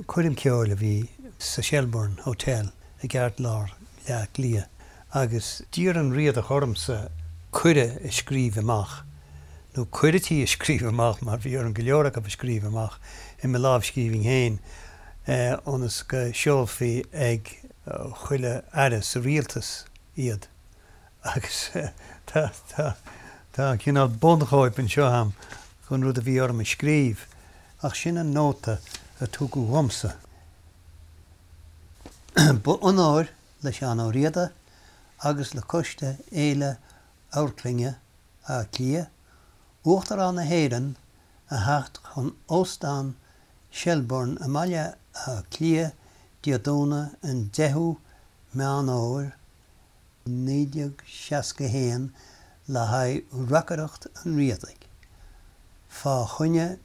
Coirm ceoil a bhí sa Shelbourne Hotel i gceartlár Bhaile Átha Cliath agus d'iarr an Riadach ormsa cuireadh a scríobh amach, nó cuirití a scríobh amach mar bhí orm go leor acu a scríobh amach i mo lámhscríbhinn féin, ionas go seolfaí ag chuile aire sa rialtas iad. Agus tá, tá, tá cineál bunchóip anseo a'm den rud a bhí orm a scríobh, ach sin an nóta a tugadh dhomsa. Ba onóir le Seán Ó Riada agus le Coiste Fhéile Amharclainne Átha Cliath, Uachtarán na hÉireann a theacht chun Óstán Shelbourne i mBaile Átha Cliath Dé Domhnaigh an 10ú Meán Fhómhair 1961 le haghaidh reacaireacht an Riadaigh fá choinne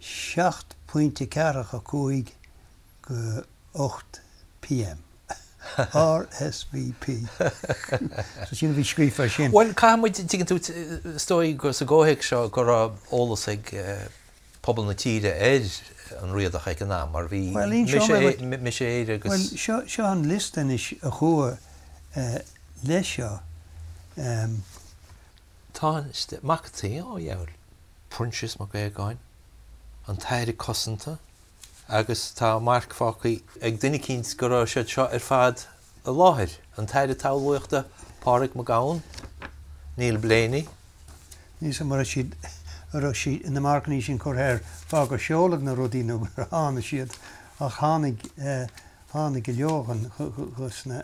7.45 go 8 pm. RSVP. So sin a bhí scríofa ar sin. Bhuel, caithfidh muid, tuigeann tú, is dóigh go sa gcomhthéacs seo go raibh eolas ag pobal na tíre ar an Riadach ag an am mar bhí Mise Éire agus. Bhuel, seo, seo an liosta anois a chuaigh leis seo. Tá Mac an tSaoi, ó dheabhail, Proinsias Mac Aogáin, an tAire Cosanta agus tá marc fágtha ag duine eicínt go raibh siad seo ar fad i láthair, an tAire Talmhaíochta Pádraig Mac Gabhann, Neil Blaney. Níl 's a'm an raibh siad, an raibh siad, na marcannaí sin curtha air fá gur seoladh na rudaí nó gur tháinig siad ach tháinig, tháinig go leor dhos na,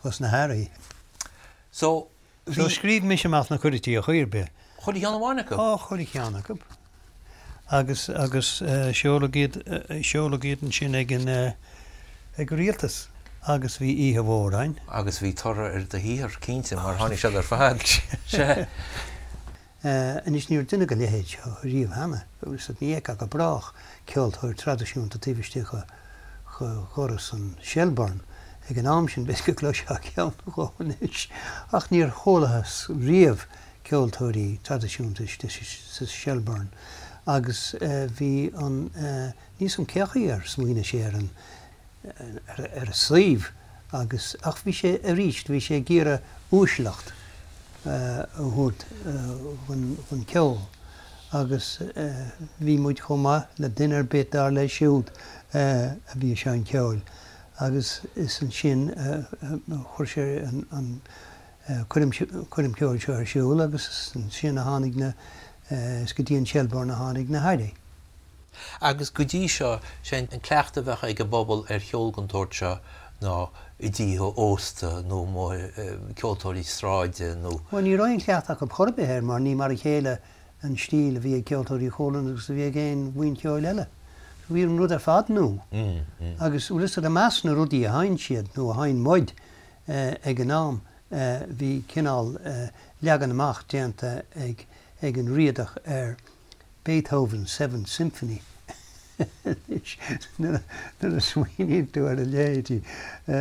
dhos na hairí. So, bhí. So scríobh mise amach na cuirití ar chaoi ar bith. Chuile cheann amháin acu? Á, chuile cheann acu. Agus, agus seoladh iad, seoladh iad ansin ag an, ag an rialtas. Agus bhí oíche mhór a'inn. Agus bhí toradh ar do shaothar, cinnte, mar tháinig siad ar fad. Sea. Anois, ní raibh duine dá leithéid seo riamh cheana. Ní fheicfeá go brách ceoltóir traidisiúnta taobh istigh de dhoras an Shelbourne ag an am sin. B'fhéidir go gcloisfeá ceann nó dhó anois. Ach níor chualathas riamh ceoltóirí traidisiúnta istigh sa Shelbourne. Agus bhí an, níl 's a'm cé chaoi ar smaoinigh sé ar an, ar an suíomh agus, ach bhí sé arís, bhí sé ag iarraidh uaisleacht a thabhairt dhon cheol agus bhí muid chomh maith le duine ar bith dar leis siúd a bhí ag seinnt ceoil agus is ansin a chuir sé an coirm ceoil seo ar siúl agus is ansin a tháinig na, is go dtí an Shelbourne a tháinig na hairí. Agus go dtí seo, sé an cleachtadh a bheadh ag an bpobal ar cheol den tsórt seo ná i dtithe ósta nó ceoltóirí sráide nó. Bhuel, ní raibh aon chleachtadh acu chor ar bith air mar ní mar a chéile an stíl a bhí ag Ceoltóirí Chualann agus a bhí ag aon bhuíon cheoil eile. Bhí an rud ar fad nua. Agus, bhfuil 'fhios a'd, i measc na rudaí a sheinn siad, nó a sheinn muid ag an am, bhí cineál leagan amach déanta ag an Riadach ar Beethoven's Seventh Symphony anois nuair a smaoiníonn tú ar a leithéidí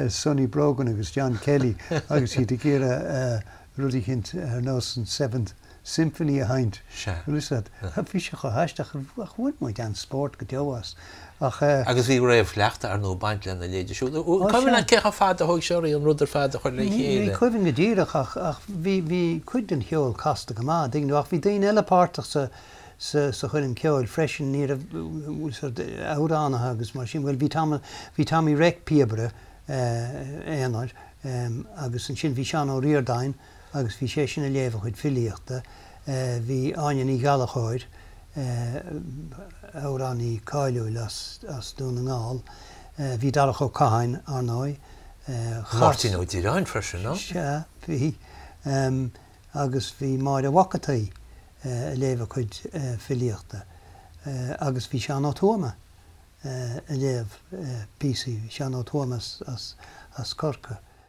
Sonny Brogan agus John Kelly agus iad ag iarraidh rud eicínt ar nós an Seventh Symphony a sheinnt. Bhfuil 'fhios a'd? Bhí sé chomh haisteach ach bhain muid an-spórt go deo as. Ach. Agus bhí réamhchleachtadh ar ndóigh ag baint lena leithéidí siúd. Cuimhin leat cé chomh fada a thóg sé oraibh an rud ar fad a chur le chéile? Ní cuimhin go díreach ach ach bhí bhí cuid den cheol casta go maith, an dtuigeann tú, ach bhí daoine eile páirteach sa sa sa choirm ceoil freisin, ní raibh sort amhránaithe agus mar sin, bhuel bhí Tom bhí Tommy Reck píobaire aonair agus ansin bhí Seán Ó Ríordáin agus bhí seisean ag léamh a chuid filíochta, bhí Áine Ní Ghallchóir, amhránaí cáiliúil as as Dún na nGall, bhí Darach Ó Catháin, ar ndóigh, chas. Máirtín Ó Direáin freisin, no? Sea, bhí. Agus bhí Máire Mhac an tSaoi ag léamh a cuid filíochta agus bhí Seán Ó Tuama ag léamh píosaí, Seán Ó Tuama as Corcaigh.